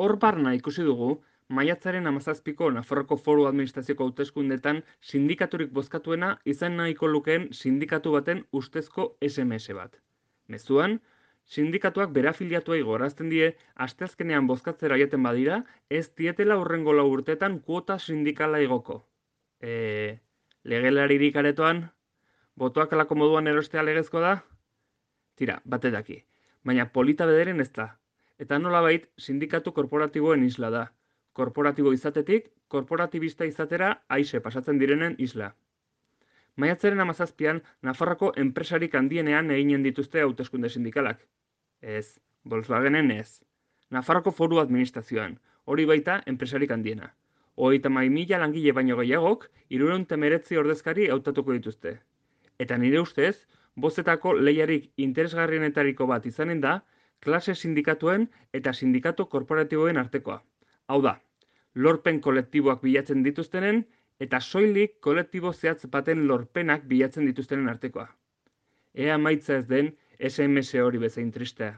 hor barna ikusi dugu, maiatzaren 17ko Nafarroko Foru Administrazioko hauteskundetan sindikaturik bozkatuena izan nahiko lukeen sindikatu baten ustezko SMS bat. Mezuan, sindikatuak bere afiliatuei gorazten die asteazkenean bozkatzera jaten badira, ez dietela hurrengo 4 urteetan kuota sindikala igoko. Legelaririk aretoan, botoak alako moduan erostea legezko da? Tira, bate daki, baina polita bederen ez da. Eta nolabait sindikatu korporatiboen isla da. Korporatibo izatetik, korporatibista izatera aise pasatzen direnen isla. Maiatzaren 17an, Nafarroko enpresarik handienean eginen dituzte hauteskunde sindikalak. Ez, Volkswagenen ez. Nafarroko Foru Administrazioan, hori baita enpresarik handiena. 32.000 langile baino gehiagok, 319 ordezkari hautatuko dituzte. Eta nire ustez, bozetako lehiarik interesgarrienetariko bat izanen da, klase sindikatuen eta sindikatu korporatiboen artekoa. Hau da, lorpen kolektiboak bilatzen dituztenen eta soilik kolektibo zehatz baten lorpenak bilatzen dituztenen artekoa. Ea maitza ez den SMS hori bezain tristea.